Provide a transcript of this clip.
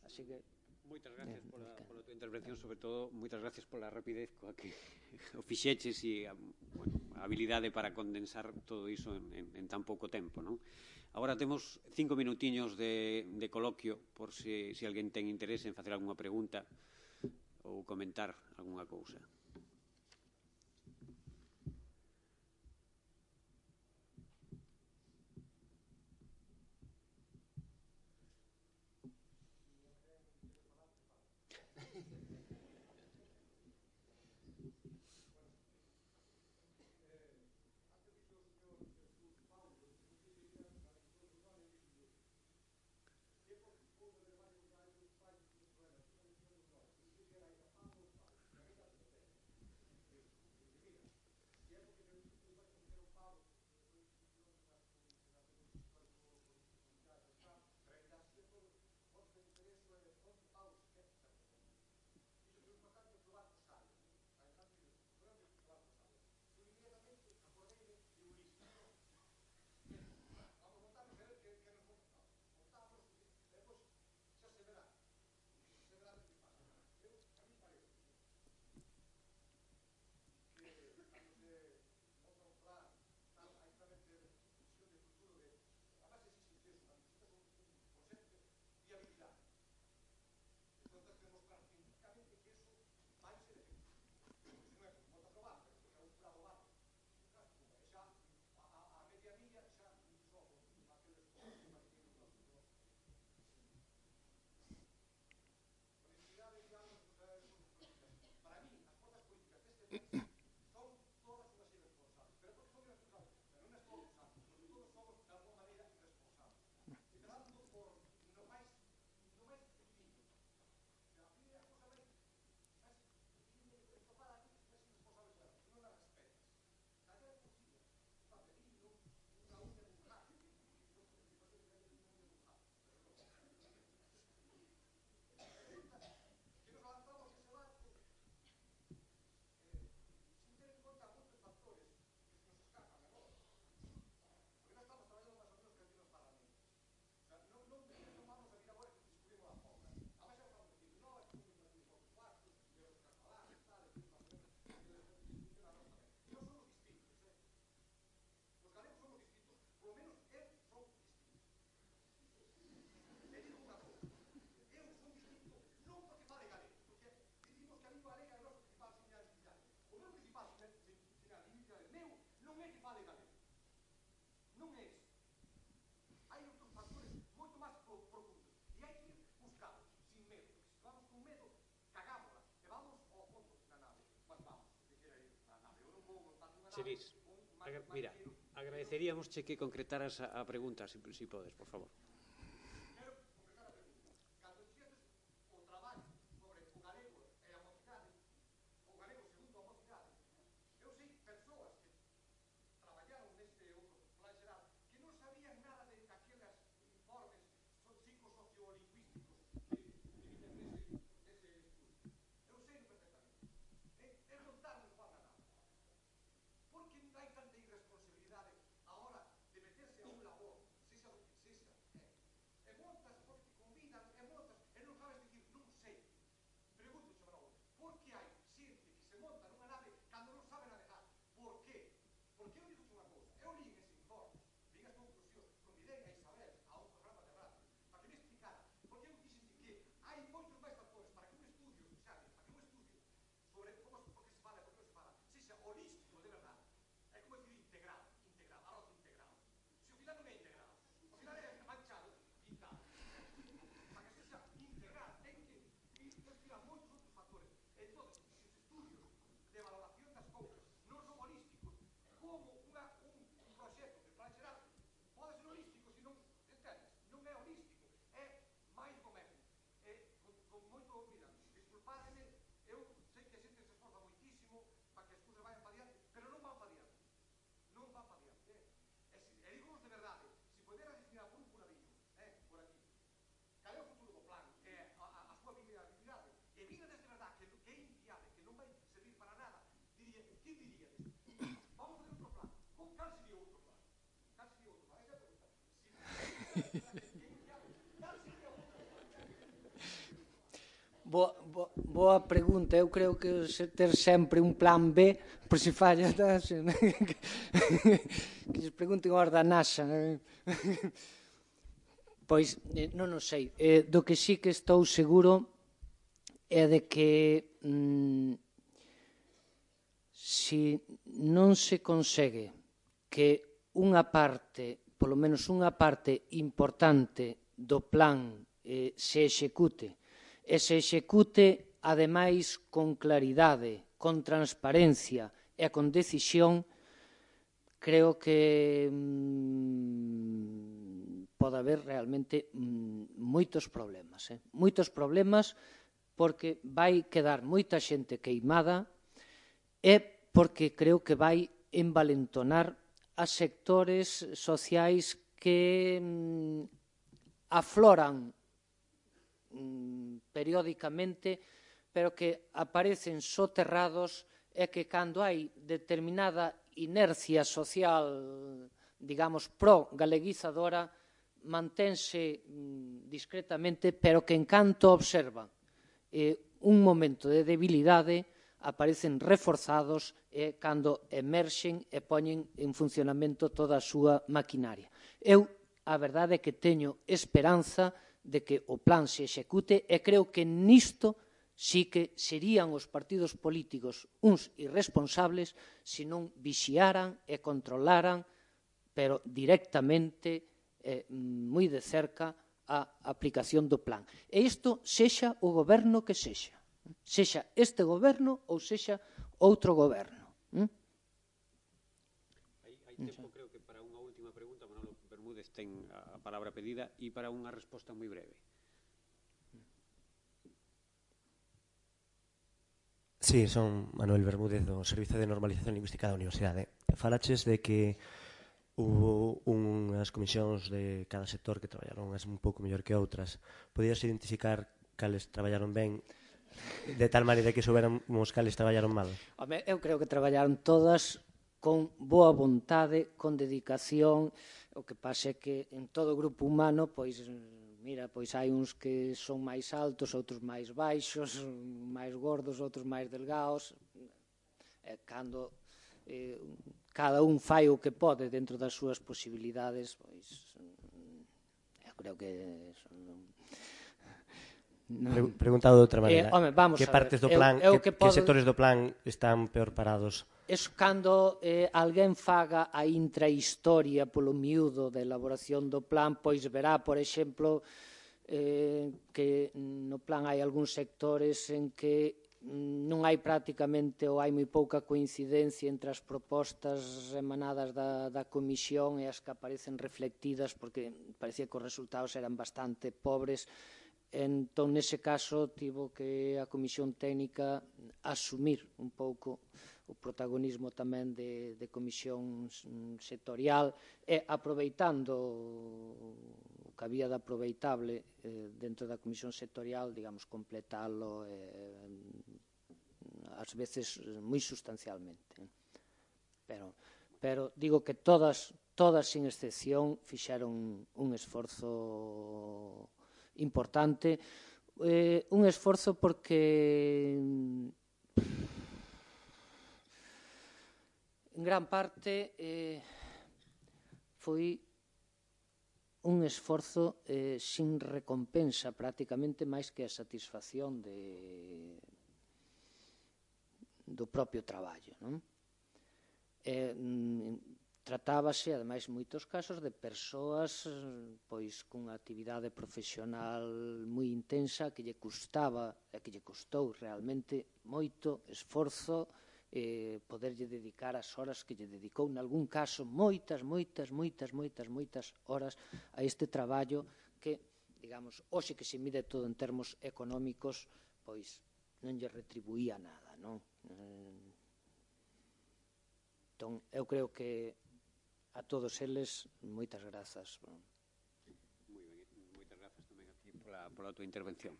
Así que Moitas gracias pola tua intervención, sobre todo, moitas gracias pola rapidez coa que o fixeches e a habilidade para condensar todo iso en tan pouco tempo, non? Agora temos 5 minutiños de coloquio por se alguén ten interese en facer algunha pregunta ou comentar algunha cousa. Cheris, mira, agradeceríamos que concretaras a pregunta, si podes, por favor. Boa pregunta. Eu creo que ter sempre un plan B por se falla que lles pregunten aos da NASA. Pois, non o sei. Do que sí que estou seguro é de que se non se consegue que unha parte, polo menos unha parte importante do plan se execute, e se execute, ademais, con claridade, con transparencia e con decisión, creo que pode haber realmente moitos problemas. Moitos problemas porque vai quedar moita xente queimada e porque creo que vai envalentonar a sectores sociais que afloran periódicamente, pero que aparecen soterrados e que cando hai determinada inercia social, digamos, pro-galeguizadora, mantense discretamente, pero que en canto observan un momento de debilidade aparecen reforzados e cando emerxen e poñen en funcionamento toda a súa maquinaria. Eu, a verdade é que teño esperanza de que o plan se execute e creo que nisto sí que serían os partidos políticos uns irresponsables se non vixiaran e controlaran, pero directamente, moi de cerca, a aplicación do plan. E isto sexa o goberno que sexa este goberno ou sexa outro goberno. Hai tempo, creo que para unha última pregunta, Manolo Bermúdez ten a palabra pedida e para unha resposta moi breve. Sí, son Manuel Bermúdez do Servizo de Normalización Lingüística da Universidade. Falaches de que hubo unhas comisións de cada sector que traballaron un pouco mellor que outras. Podías identificar cales traballaron ben de tal maneira que souberamos cales traballaron mal? Eu creo que traballaron todas con boa vontade, con dedicación. O que pasa é que en todo o grupo humano, pois, mira, pois hai uns que son máis altos, outros máis baixos, máis gordos, outros máis delgados. Cando cada un fai o que pode dentro das súas posibilidades, pois, eu creo que Preguntado de outra maneira, que partes do plan, que sectores do plan están peor parados? É cando alguén faga a intrahistoria polo miúdo da elaboración do plan, pois verá, por exemplo, que no plan hai algúns sectores en que non hai prácticamente ou hai moi pouca coincidencia entre as propostas emanadas da comisión e as que aparecen reflectidas, porque parecía que os resultados eran bastante pobres. Entón, nese caso, tivo que a Comisión Técnica asumir un pouco o protagonismo tamén de comisión sectorial e aproveitando o que había de aproveitable dentro da comisión sectorial, digamos, completalo ás veces moi sustancialmente. Pero digo que todas sin excepción fixeron un esforzo importante, un esforzo porque en gran parte foi un esforzo sin recompensa, prácticamente máis que a satisfacción do propio traballo, non? Tratábase, ademais, en moitos casos, de persoas pois cunha actividade profesional moi intensa que lle custaba e que lle custou realmente moito esforzo poderlle dedicar as horas que lle dedicou, nalgún caso, moitas horas a este traballo que, digamos, hoxe que se mide todo en termos económicos, pois non lle retribuía nada, non? Entón, eu creo que a todos eles, moitas grazas. Moi ben, moitas grazas tamén aquí pola tua intervención.